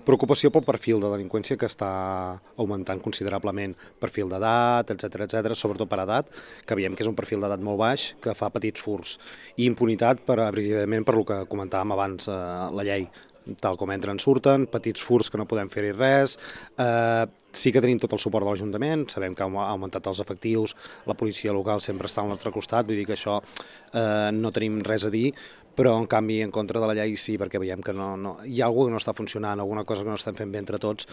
Preocupació pel perfil de delinqüència que està augmentant considerablement, perfil d'edat, etc, sobretot per edat, que veiem que és un perfil d'edat molt baix, que fa petits furts, i impunitat precisament per el que comentàvem abans, la llei, tal com entren surten, petits furts que no podem fer-hi res, sí que tenim tot el suport de l'Ajuntament, sabem que ha augmentat els efectius, la policia local sempre està al nostre costat, vull dir que això no tenim res a dir, però en canvi en contra de la llei sí, perquè veiem que hi ha alguna cosa que no està funcionant, alguna cosa que no estem fent bé entre tots.